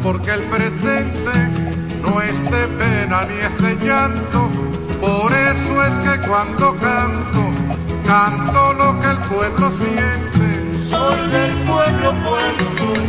porque el presente no es de pena ni es de llanto. Por eso es que cuando canto, canto lo que el pueblo siente. Soy del pueblo, pueblo soy,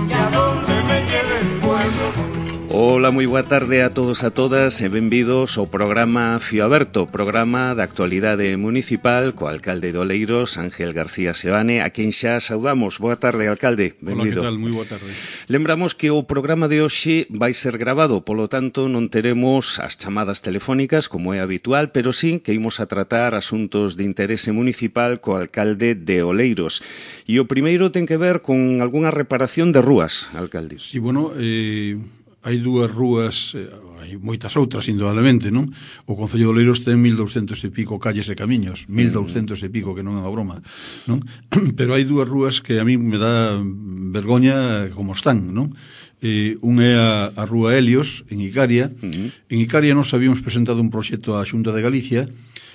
y a donde me lleve el pueblo. Ola, moi boa tarde a todos e a todas e benvidos ao programa Fío Aberto, programa da actualidade municipal co alcalde de Oleiros, Ángel García Seoane, a quen xa saudamos. Boa tarde, alcalde, benvido. Hola, que tal? Moi boa tarde. Lembramos que o programa de hoxe vai ser grabado, polo tanto non teremos as chamadas telefónicas como é habitual, pero sí que imos a tratar asuntos de interese municipal co alcalde de Oleiros. E o primeiro ten que ver con algunha reparación de rúas, alcalde. Sí, bueno, hai dúas rúas, hai moitas outras, indudablemente, non? O Concello de Oleiros ten 1.200 e pico calles e camiños, 1.200 e pico, que non é unha broma, non? Pero hai dúas rúas que a mí me dá vergoña como están, non? Un é a Rúa Helios, en Icaria. En Icaria nos habíamos presentado un proxecto á Xunta de Galicia.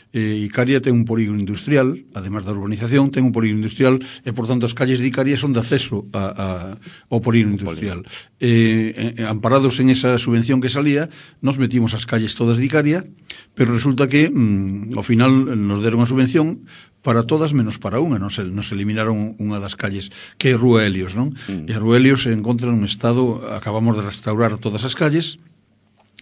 Icaria ten un polígono industrial, además da urbanización, ten un polígono industrial e, por tanto, as calles de Icaria son de acceso ao polígono industrial. Amparados en esa subvención que salía, nos metimos as calles todas de Icaria, pero resulta que, ao final, nos deron a subvención para todas menos para unha, nos eliminaron unha das calles, que é Rúa Helios, non? E a Rúa Helios se encontra nun estado, acabamos de restaurar todas as calles,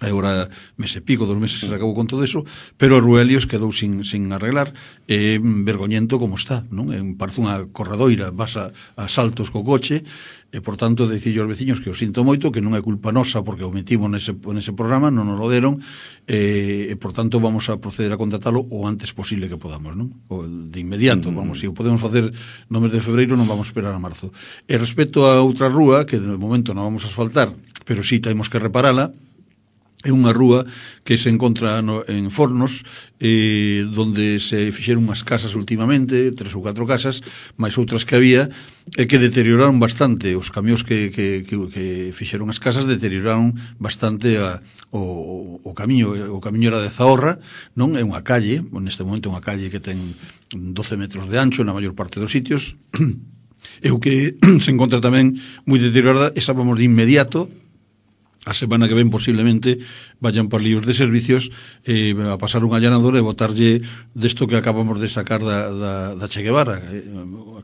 agora mes e pico, 2 meses se acabou con todo eso, pero a Rúa Helios quedou sin arreglar, é vergoñento como está, non? Parece unha corredoira, vas a saltos co coche, e por tanto dicirlle aos veciños que o sinto moito, que non é culpa nosa porque o metimos nese programa, non nos lo deron, e por tanto vamos a proceder a contratalo o antes posible que podamos, non? O de inmediato, vamos, se o podemos facer no mes de febreiro, non vamos a esperar a marzo. E respecto a outra rúa, que de momento non vamos a asfaltar, pero sí temos que reparala, é unha rúa que se encontra en Fornos, donde se fixeron unhas casas últimamente, 3 ou 4 casas, máis outras que había, e que deterioraron bastante. Os camións que fixeron as casas deterioraron bastante o camiño. O camiño era de Zahorra, non? É unha calle, neste momento é unha calle que ten 12 metros de ancho na maior parte dos sitios, e o que se encontra tamén moi deteriorada, e sábamos de inmediato, a semana que ven posiblemente vayan por libros de servicios a pasar un allanador e botarlle desto que acabamos de sacar da Che Guevara.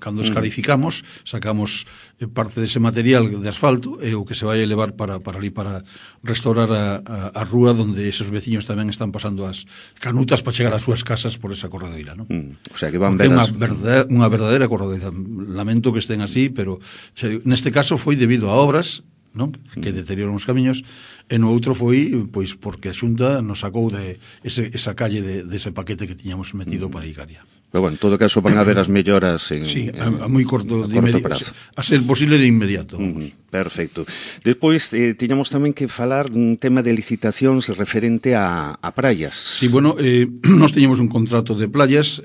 Cando escarificamos, sacamos parte dese material de asfalto e o que se vai a levar para ali para restaurar a rúa donde esos veciños tamén están pasando as canutas para chegar ás súas casas por esa corredoira, non? O sea que van ver unha verdadeira corredoira. Lamento que estén así, pero neste caso foi debido a obras, non? Que deterioran os camiños, e no outro foi pois porque a Xunta nos sacou de esa calle dese paquete que tiñamos metido para Icaria. Pero bueno, en todo caso van a ver as melloras a moi corto prazo. A ser posible de inmediato. Perfecto. Despois tiñamos tamén que falar dun tema de licitacións referente a praias. Sí, bueno, nos teñemos un contrato de playas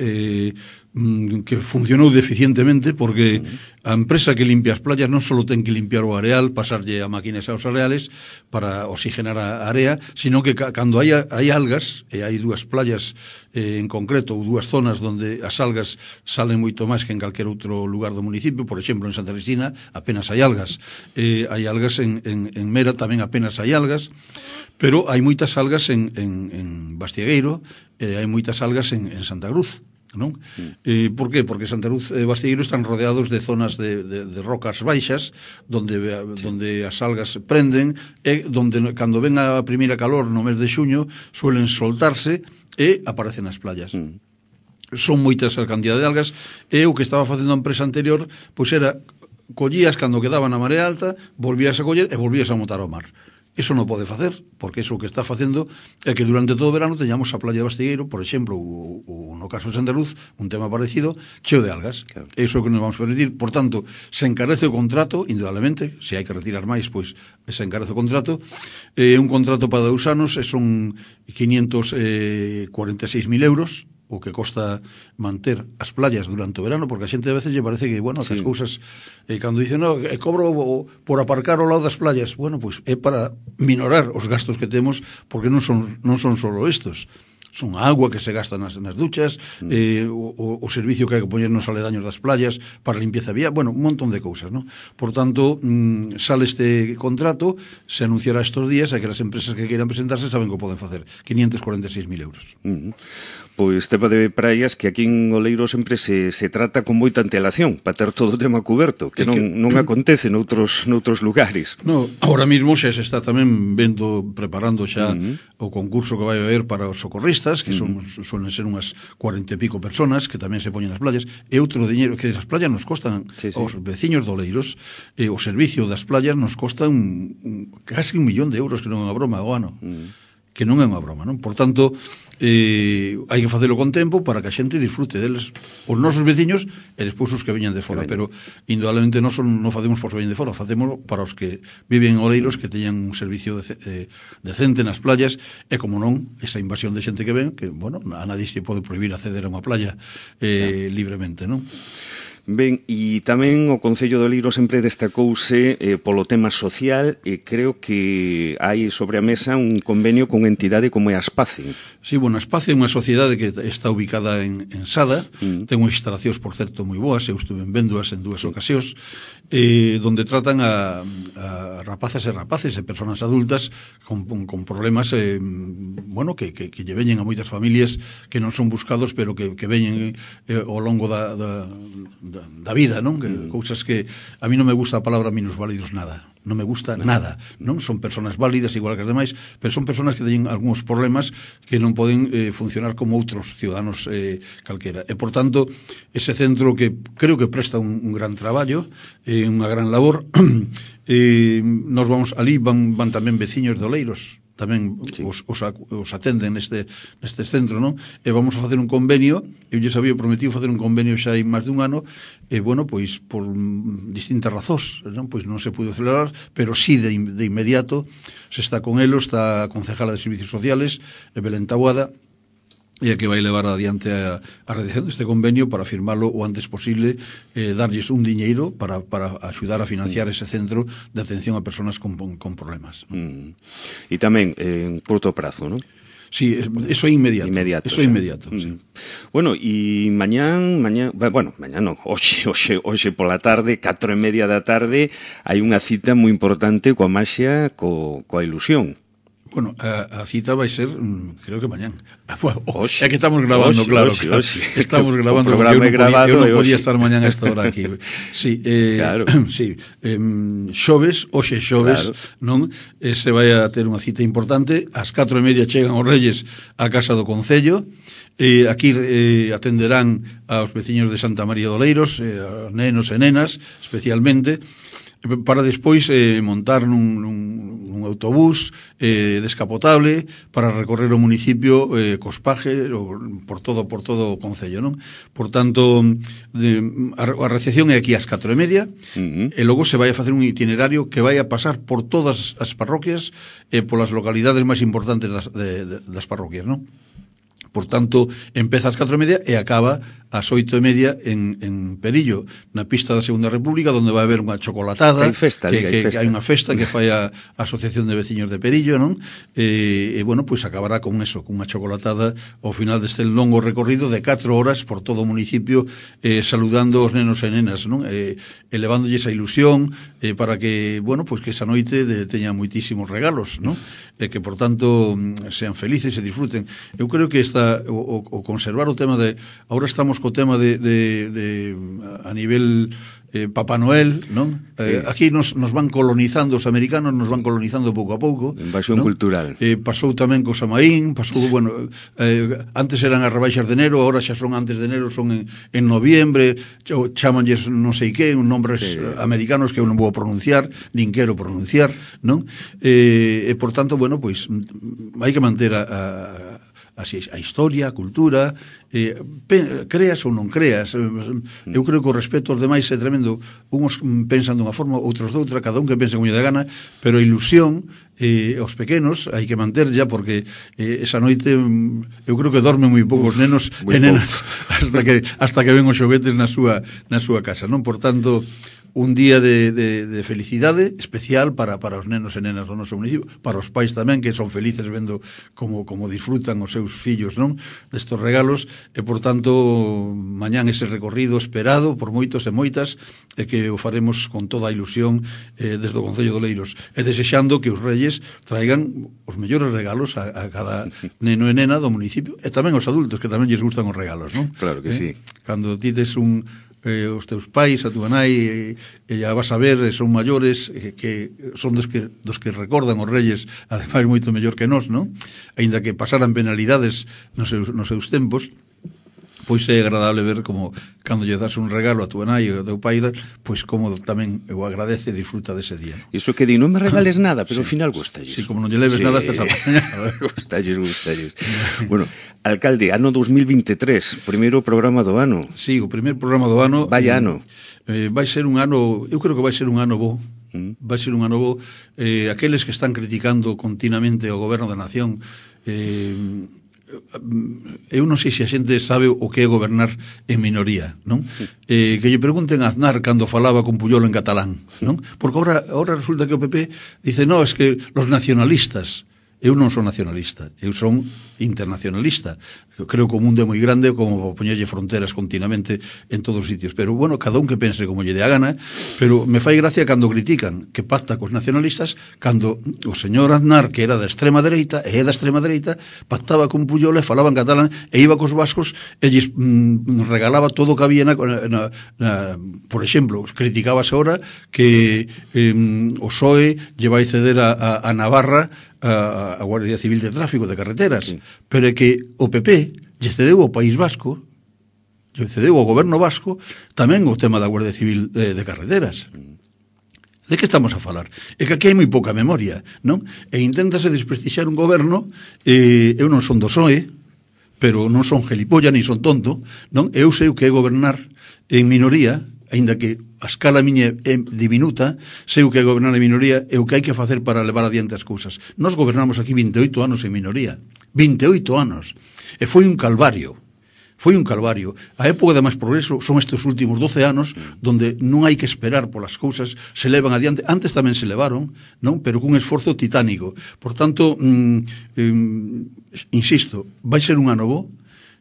que funcionou deficientemente porque a empresa que limpia as playas non só ten que limpiar o areal, pasarlle a máquinas aos areales para oxigenar a area, sino que cando hai algas, e hai 2 playas en concreto, ou 2 zonas onde as algas salen moito máis que en calquer outro lugar do municipio, por exemplo, en Santa Cristina apenas hai algas, hai algas en Mera tamén apenas hai algas, pero hai moitas algas en Bastiegueiro, hai moitas algas en Santa Cruz, non? Por qué? Porque Santa Cruz e Bastiegueiro están rodeados de zonas de rocas baixas donde as algas prenden e donde cando ven a primeira calor no mes de xuño suelen soltarse e aparecen nas playas. Son moitas a cantidad de algas e o que estaba facendo a empresa anterior pois era collías cando quedaban a marea alta, volvías a coller e volvías a montar ao mar. Eso non pode facer, porque eso que está facendo é que durante todo o verano teñamos a playa de Bastiegueiro, por exemplo, ou no caso de Santa Luz, un tema parecido, cheo de algas. Claro. Eso é o que nos vamos a permitir. Por tanto, se encarece o contrato, indudablemente, se hai que retirar máis, pois se encarece o contrato. Un contrato para 2 anos, son 546.000 euros, o que costa manter as playas durante o verano, porque a xente a veces lle parece que, bueno, que as cousas, cando dicen, no, cobro por aparcar ao lado das playas, bueno, pois é para minorar os gastos que temos, porque non son solo estos. son a agua que se gasta nas duchas, o servicio que hai que poñer nos aledaños das playas para a limpieza vía, bueno, un montón de cousas, ¿no? Por tanto, sale este contrato, se anunciará estos días, e que as empresas que queiran presentarse saben que o poden facer, 546.000 euros. Pois tema de praias que aquí en Oleiro sempre se trata con moita antelación para ter todo o tema coberto, que non acontece noutros lugares. No, ahora mismo xa se está tamén preparando xa o concurso que vai haber para os socorristas, que suelen ser unhas 40 e pico personas que tamén se poñen nas playas, e outro diñeiro que as playas nos costan aos veciños de Oleiros, o servicio das playas nos costan casi 1 millón de euros, que non é unha broma ao ano. Que non é unha broma, non? Por tanto, hai que facelo con tempo para que a xente disfrute deles, os nosos veciños e despois os que veñan de fora, pero indudablemente non facemos por que veñen de fora, facemos para os que viven en Oleiros, que teñan un servicio decente nas playas, e como non, esa invasión de xente que ven, que, bueno, a nadie se pode prohibir acceder a unha playa libremente, non? Ben, e tamén o Concello de Oleiro sempre destacouse polo tema social, e creo que hai sobre a mesa un convenio con entidade como é a Aspace. Sí, bueno, a Aspace é unha sociedade que está ubicada en Sada, ten unhas instalacións, por certo, moi boas, eu estuve vendóas en 2 ocasións, donde tratan a rapazas e rapaces e persoas adultas con problemas, bueno, que lle veñen a moitas familias que non son buscados, pero que veñen ao longo da vida, non? Cousas que a mí non me gusta a palabra minusválidos nada. Non me gusta nada, non? Son persoas válidas igual que as demais, pero son persoas que teñen algúns problemas que non poden funcionar como outros ciudadanos calquera. E, por tanto, ese centro que creo que presta un gran traballo, unha gran labor, nos vamos ali, van tamén veciños de Oleiros, tamén os atenden neste centro, non? E vamos a facer un convenio, eu lles había prometido facer un convenio xa hai máis dun ano, e, bueno, pois, por distintas razóns, non? Pois non se pudo celebrar, pero sí de inmediato se está con elo, está a concejala de Servicios Sociales, Belén Taboada, e a que vai levar adiante a redacción deste convenio para firmarlo o antes posible, darlles un diñeiro para axudar a financiar ese centro de atención a persoas con problemas. E tamén en curto prazo, non? Sí, eso é inmediato. Eso é inmediato, sí. Bueno, e mañán non, hoxe pola tarde, 4:30 da tarde, hai unha cita moi importante coa maxia, coa ilusión. Bueno, a cita vai ser, creo que mañán. É que estamos grabando, claro. Estamos grabando, porque eu non podía estar mañán a esta hora aquí. Sí, claro. Sí, hoxe xoves, non? Se vai a ter unha cita importante. Ás 4:30 chegan os Reyes á Casa do Concello. Aquí atenderán aos veciños de Santa María de Oleiros, aos nenos e nenas, especialmente, para despois montar nun autobús descapotable para recorrer o municipio cos pajes por todo o concello, non? Por tanto, a recepción é aquí ás 4:30, e logo se vai a facer un itinerario que vai a pasar por todas as parroquias e polas localidades máis importantes das parroquias, non? Por tanto, empeza ás 4:30 e acaba ás 8:30 en Perillo, na pista da Segunda República, onde vai haber unha chocolatada, que hai unha festa que fai a Asociación de Veciños de Perillo, non? E bueno, pois acabará con eso, con unha chocolatada ao final deste longo recorrido de 4 horas por todo o municipio, saludando os nenos e nenas, non? Elevándolle esa ilusión para que, bueno, pois que esa noite teña moitísimos regalos, non? E que, por tanto, sean felices e disfruten. Eu creo que o conservar o tema de... Ahora estamos co tema de a nivel Papá Noel, non? Aquí nos van colonizando, os americanos nos van colonizando pouco a pouco. Invasión cultural. Pasou tamén co Samaín, bueno, antes eran as rebaixas de enero, agora xa son antes de enero, son en noviembre, chamanlles non sei que, un nombres americanos que eu non vou pronunciar, nin quero pronunciar, non? E, por tanto, bueno, pois, hai que manter a historia, a cultura, creas ou non creas. Eu creo que o respeto aos demais é tremendo. Uns pensan dunha forma, outros doutra, cada un que pense como lle dá gana, pero a ilusión aos pequenos hai que manterlla, porque esa noite eu creo que dormen moi poucos nenos e nenas hasta que ven os xoguetes na súa casa, non? Por tanto, un día de felicidade especial para os nenos e nenas do noso municipio, para os pais tamén, que son felices vendo como disfrutan os seus fillos, non, destos regalos, e por tanto mañán ese recorrido esperado por moitos e moitas, e que o faremos con toda a ilusión desde o Concello de Oleiros, e desexando que os Reyes traigan os mellores regalos a cada neno e nena do municipio, e tamén os adultos, que tamén lles gustan os regalos, non? Claro que sí. Cando ti tes os teus pais, a túa nai, e ya vas a ver, son maiores, que son dos que recordan os Reyes, ademais moito mellor que nós, non? Aínda que pasaran penalidades nos seus tempos, pois é agradable ver como cando lle das un regalo a túa nai e ao teu pai, pois como tamén o agradece e disfruta dese día, non? Iso que di, non me regales nada, pero ao final gustalles. Sí, como non lle leves nada, estás apañado. Gustalles. Bueno, alcalde, ano 2023, primeiro programa do ano. Sí, o primeiro programa do ano. Vaya ano. Vai ser un ano, eu creo que vai ser un ano bo. Vai ser un ano bo. Aqueles que están criticando continuamente o goberno da nación, eu non sei se a xente sabe o que é gobernar en minoría, non? Que lle pregunten a Aznar cando falaba con Puyol en catalán, non? Porque ahora resulta que o PP dice, no, es que los nacionalistas. Eu non son nacionalista, eu son internacionalista. Eu creo que o mundo é moi grande como para poñerlle fronteras continuamente en todos os sitios. Pero, bueno, cada un que pense como lle dé a gana, pero me fai gracia cando critican que pacta cos nacionalistas, cando o señor Aznar, que era da extrema dereita, e é da extrema dereita, pactaba con Puyol e falaba en catalán, e iba cos vascos e lles regalaba todo o que había por exemplo, criticábase ahora que o PSOE lle vai ceder a Navarra a Guardia Civil de Tráfico de Carreteras, sí. Pero é que o PP lle cedeu ao País Vasco, lle cedeu ao goberno vasco tamén o tema da Guardia Civil de Carreteras. De que estamos a falar? É que aquí hai moi pouca memoria, non? E inténtase desprestixiar un goberno, eu non son do PSOE, pero non son gelipolla, ni son tonto, non? Eu sei o que é gobernar en minoría, aínda que a escala miña é diminuta, sei o que é gobernar en minoría e o que hai que facer para levar adiante as cousas. Nós gobernamos aquí 28 anos en minoría. 28 anos. E foi un calvario. Foi un calvario. A época de máis progreso son estes últimos 12 anos donde non hai que esperar polas cousas, se levan adiante. Antes tamén se levaron, non? Pero cun esforzo titánico. Por tanto, insisto, vai ser un ano bo.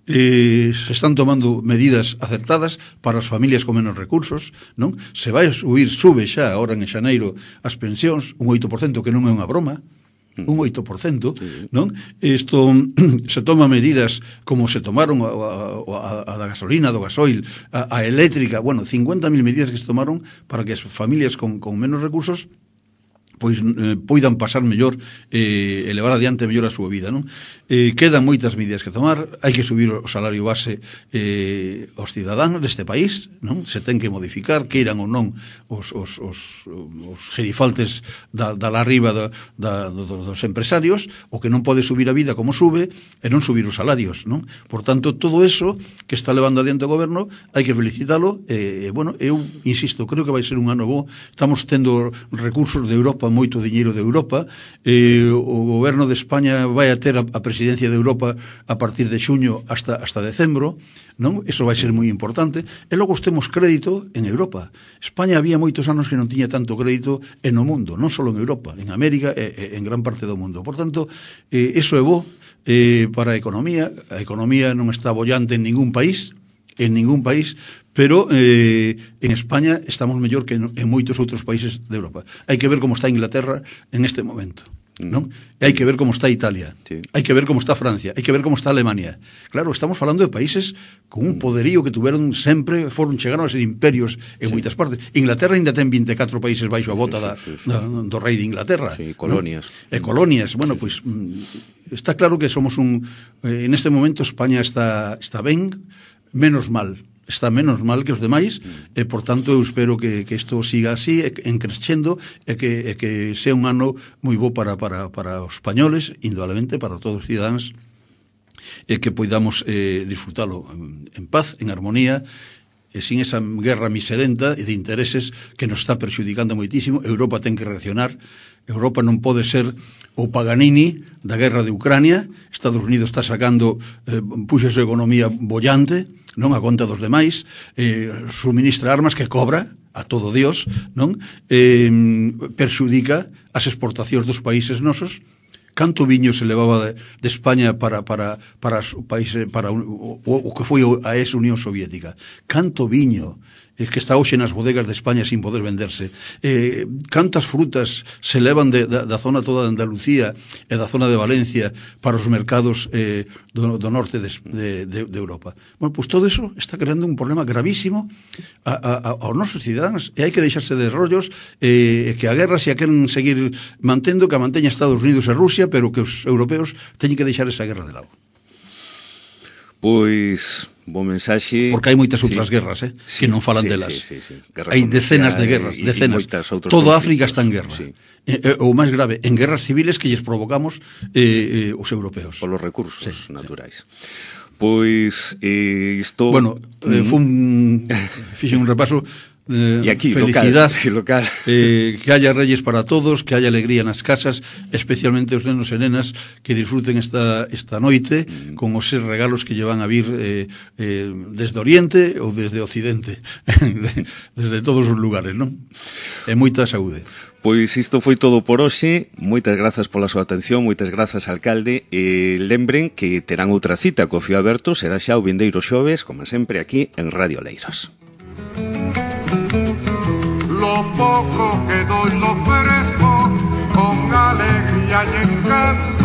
Se están tomando medidas acertadas para as familias con menos recursos, non? Se vai sube xa agora en xaneiro as pensións, un 8%, que non é unha broma, un 8%, non? Isto se toma medidas como se tomaron a da gasolina, do gasoil, a eléctrica, bueno, 50.000 medidas que se tomaron para que as familias con menos recursos pois poidan pasar mellor e levar adiante mellor a súa vida, non? Quedan moitas medidas que tomar, hai que subir o salario base aos cidadáns deste país, non? Se ten que modificar, queiran ou non os gerifaltes da arriba dos empresarios, o que non pode subir a vida como sube e non subir os salarios, non? Por tanto, todo eso que está levando adiante o goberno hai que felicitalo, bueno, eu insisto, creo que vai ser un ano bo, estamos tendo recursos de Europa, moito diñeiro de Europa, o goberno de España vai a ter a presidencia de Europa a partir de xuño hasta decembro, non? Eso vai ser moi importante, e logo temos crédito en Europa. España había moitos anos que non tiña tanto crédito en o mundo, non só en Europa, en América e en gran parte do mundo. Por tanto, eso é bo para a economía non está bollante en ningún país, pero en España estamos mellor que en moitos outros países de Europa. Hai que ver como está Inglaterra en este momento, non? E hai que ver como está Italia, sí. Hai que ver como está Francia, hai que ver como está Alemania. Claro, estamos falando de países con un poderío que tuveron sempre, chegaron a ser imperios en moitas partes. Inglaterra ainda ten 24 países baixo a bota do rei de Inglaterra. Sí, colonias. ¿No? Colonias, bueno, pois está claro que somos en este momento España está ben, menos mal que os demais, e por tanto eu espero que isto siga así, en crescendo, e que sea un ano moi bo para os españoles, indudablemente para todos os cidadáns, e que poidamos disfrutalo en paz, en armonía, e sin esa guerra miserenta e de intereses que nos está perxudicando moitísimo. Europa ten que reaccionar. Europa non pode ser o Paganini da guerra de Ucrania. Estados Unidos está sacando puxos de economía bollante, non a conta dos demais, suministra armas que cobra a todo Dios, non? Perxudica as exportacións dos países nosos. Canto viño se levaba de España para os países, para o que foi a ex-Unión Soviética? Canto viño que está hoxe nas bodegas de España sin poder venderse? Cantas frutas se levan da zona toda de Andalucía e da zona de Valencia para os mercados do norte de Europa? Bueno, pois todo eso está creando un problema gravísimo aos nosos cidadáns, e hai que deixarse de rollos, que a guerra se a queren seguir mantendo, que a manteña Estados Unidos e Rusia, pero que os europeos teñen que deixar esa guerra de lado. Pois, bo mensaxe. Porque hai moitas outras guerras, que non falan delas. Hai decenas de guerras, decenas. Todo África está en guerra. O máis grave, en guerras civiles que lles provocamos os europeos. Polos recursos naturais. Pois, isto... Bueno, fixe un repaso. E aquí, felicidad, local. Que haya reyes para todos, que haya alegría nas casas, especialmente os nenos e nenas que disfruten esta noite con os regalos que lle van a vir desde Oriente ou desde Occidente, desde todos os lugares, non? E moita saúde. Pois isto foi todo por hoxe. Moitas grazas pola súa atención, moitas grazas, alcalde, e lembren que terán outra cita co Fío Aberto, será xa o vindeiro xoves, como sempre aquí en Radio Oleiros. Lo poco que doy lo ofrezco con alegría y encanto.